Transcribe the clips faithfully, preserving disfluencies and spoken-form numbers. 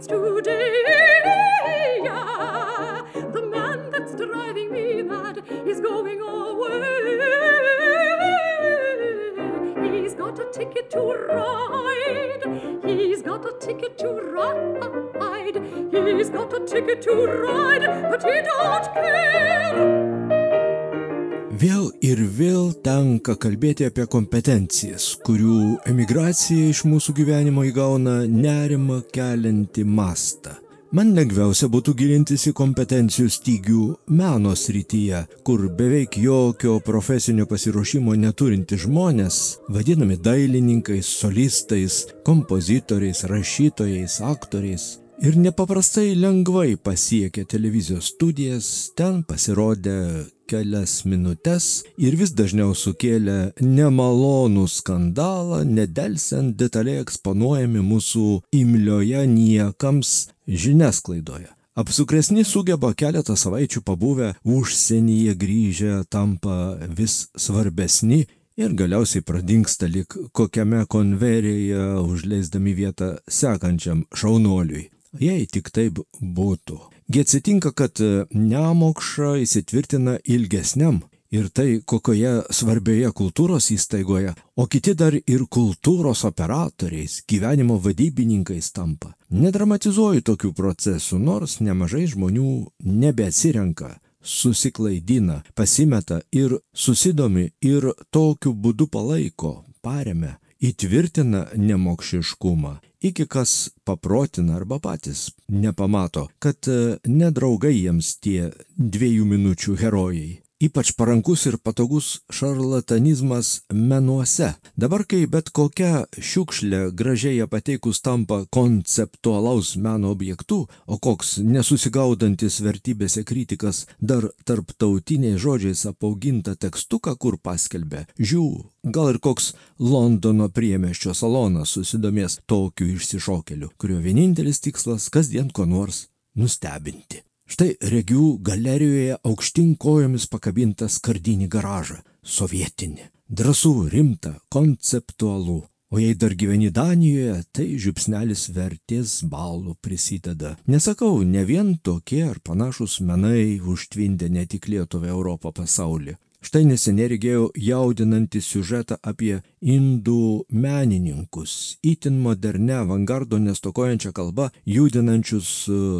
fields today. Yeah, the man that's driving me mad is going away. He's got a ticket to ride. He's got a ticket to ride. He's got a ticket to ride, but he don't care. Vėl ir vėl tenka kalbėti apie kompetencijas, kurių emigracija iš mūsų gyvenimo įgauna nerimą keliantį mastą. Man lengviausia būtų gilintis į kompetencijų stygių meno srityje, kur beveik jokio profesinio pasiruošimo neturinti žmonės, vadinami dailininkais, solistais, kompozitoriais, rašytojais, aktoriais, ir nepaprastai lengvai pasiekė televizijos studijas, ten pasirodė kelias minutes ir vis dažniau sukėlė nemalonų skandalą, nedelsiant detaliai eksponuojami mūsų imlioje niekams žiniasklaidoje. Apsukresni sugeba keletą savaičių pabuvę užsienyje grįžę tampa vis svarbesni ir galiausiai pradingsta lyg kokiame konveryje, užleisdami vietą sekančiam šaunuoliui. Jei tik taip būtų. Gi atsitinka, kad nemokša įsitvirtina ilgesniam ir tai kokioje svarbioje kultūros įstaigoje, o kiti dar ir kultūros operatoriais, gyvenimo vadybininkais tampa. Nedramatizuoju tokių procesų, nors nemažai žmonių nebeatsirenka, susiklaidina, pasimeta ir susidomi ir tokiu būdu palaiko, paremia, įtvirtina nemokšiškumą, iki kas paprotina arba patys nepamato, kad nedraugai jiems tie dviejų minučių herojai. Ypač parankus ir patogus šarlatanizmas menuose. Dabar, kai bet kokia šiukšlė gražiai pateikus tampa konceptualaus meno objektu, o koks nesusigaudantis vertybėse kritikas dar tarptautiniais žodžiais apaugintą tekstuką, kur paskelbė, žiū, gal ir koks Londono priemiesčio salonas susidomės tokiu išsišokeliu, kurio vienintelis tikslas kasdien ko nors nustebinti. Štai regiu galerijoje aukštyn kojomis pakabintą skardinį garažą, sovietinį, drąsų, rimtą, konceptualų. O jei dar gyveni Danijoje, tai žiupsnelis vertės balų prisideda. Nesakau, ne vien tokie ar panašus menai užtvindė ne tik Lietuvą, Europą, pasaulį. Štai neseniai regėjau jaudinantį siužetą apie indų menininkus, itin modernę, avangardo nestokojančią kalbą, judinančius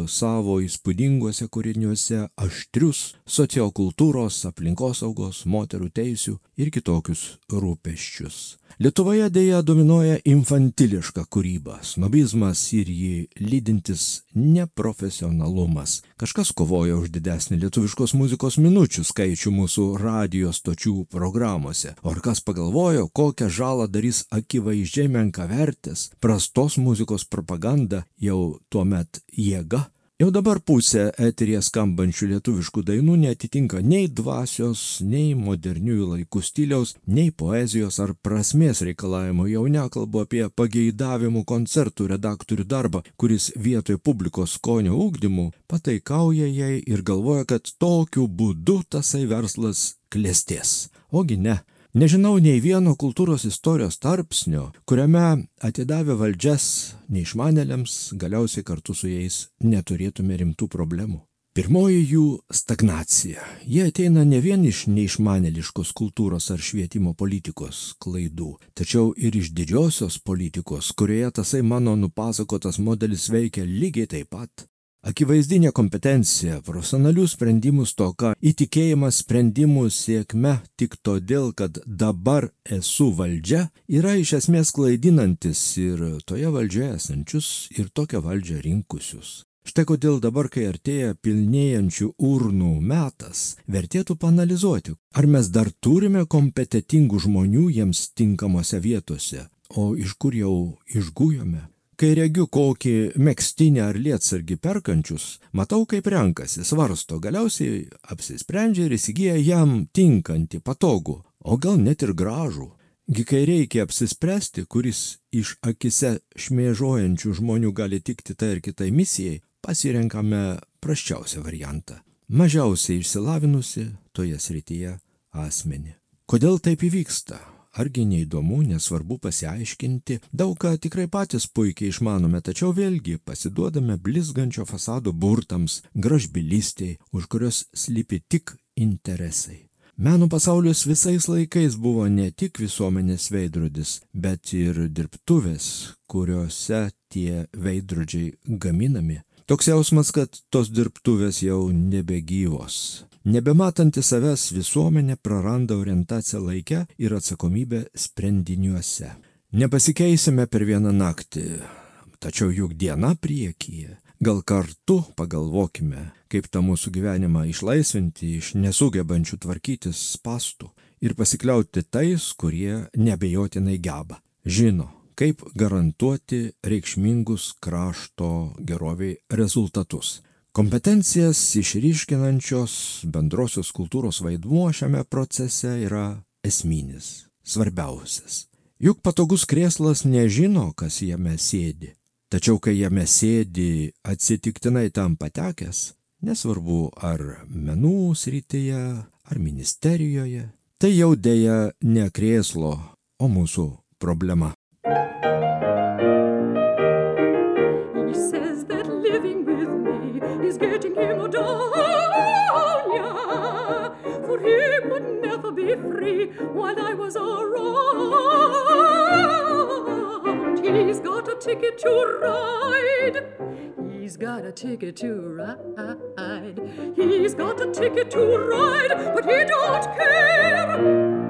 savo įspūdinguose kūriniuose aštrius sociokultūros, aplinkosaugos, moterų teisių ir kitokius rūpesčius. Lietuvoje dėja dominuoja infantiliška kūryba, snobizmas ir jį lydintis neprofesionalumas. Kažkas kovoja už didesnį lietuviškos muzikos minučių skaičių mūsų radijo stočių programuose, o ar kas pagalvojo, kokią žalą darys akivaizdžiai menkavertės, prastos muzikos propaganda jau tuomet jėga. Jau dabar pusė eteryje skambančių lietuviškų dainų neatitinka nei dvasios, nei moderniųjų laikų stiliaus, nei poezijos ar prasmės reikalavimo. Jau nekalbu apie pageidavimų koncertų redaktorių darbą, kuris vietoj publikos skonio ugdymų pataikauja jai ir galvoja, kad tokiu būdu tasai verslas klestės. Ogi ne. Nežinau nei vieno kultūros istorijos tarpsnio, kuriame atidavę valdžias neišmanėliams, galiausiai kartu su jais neturėtume rimtų problemų. Pirmoji jų stagnacija. Jie ateina ne vien iš neišmanėliškos kultūros ar švietimo politikos klaidų, tačiau ir iš didžiosios politikos, kurioje tasai mano nupasakotas modelis veikia lygiai taip pat. Akivaizdinė kompetencija, profesionalių sprendimų stoka, įtikėjimas sprendimų sėkme tik todėl, kad dabar esu valdžia, yra iš esmės klaidinantis ir toje valdžioje esančius ir tokią valdžią rinkusius. Štai kodėl dabar, kai artėja pilnėjančių urnų metas, vertėtų paanalizuoti, ar mes dar turime kompetentingų žmonių jiems tinkamose vietose, o iš kur jau išgujome. Kai regiu kokį megztinį ar lietsargį perkančius, matau, kaip renkasi, svarsto, galiausiai apsisprendžia ir įsigyja jam tinkantį, patogų, o gal net ir gražų. Gi kai reikia apsispręsti, kuris iš akise šmėžuojančių žmonių gali tikti tai ir kitai misijai, pasirenkame prasčiausią variantą. Mažiausiai išsilavinusi toje srityje asmenį. Kodėl taip įvyksta? argi neįdomu, nesvarbu pasiaiškinti, daug ką tikrai patys puikiai išmanome, tačiau vėlgi pasiduodame blizgančio fasado burtams, gražbylystiai, už kurios slypi tik interesai. Meno pasaulis visais laikais buvo ne tik visuomenės veidrodis, bet ir dirbtuvės, kuriuose tie veidrodžiai gaminami. Toks jausmas, kad tos dirbtuvės jau nebegyvos. Nebematanti savęs visuomenė praranda orientaciją laike ir atsakomybę sprendiniuose. Nepasikeisime per vieną naktį, tačiau juk diena priekyje. Gal kartu pagalvokime, kaip tą mūsų gyvenimą išlaisvinti iš nesugebančių tvarkytis spąstų ir pasikliauti tais, kurie neabejotinai geba. Žino, kaip garantuoti reikšmingus krašto geroviai rezultatus. Kompetencijas išryškinančios bendrosios kultūros vaidmuo šiame procese yra esminis, svarbiausias. Juk patogus krėslas nežino, kas jame sėdi. Tačiau kai jame sėdi atsitiktinai tam patekęs, nesvarbu ar menų srityje, ar ministerijoje, tai jau dėja ne krėslo, o mūsų problema. He says that living with me is getting him down, yeah, for he would never be free while I was around. He's got a ticket to ride. He's got a ticket to ride. He's got a ticket to ride, but he don't care.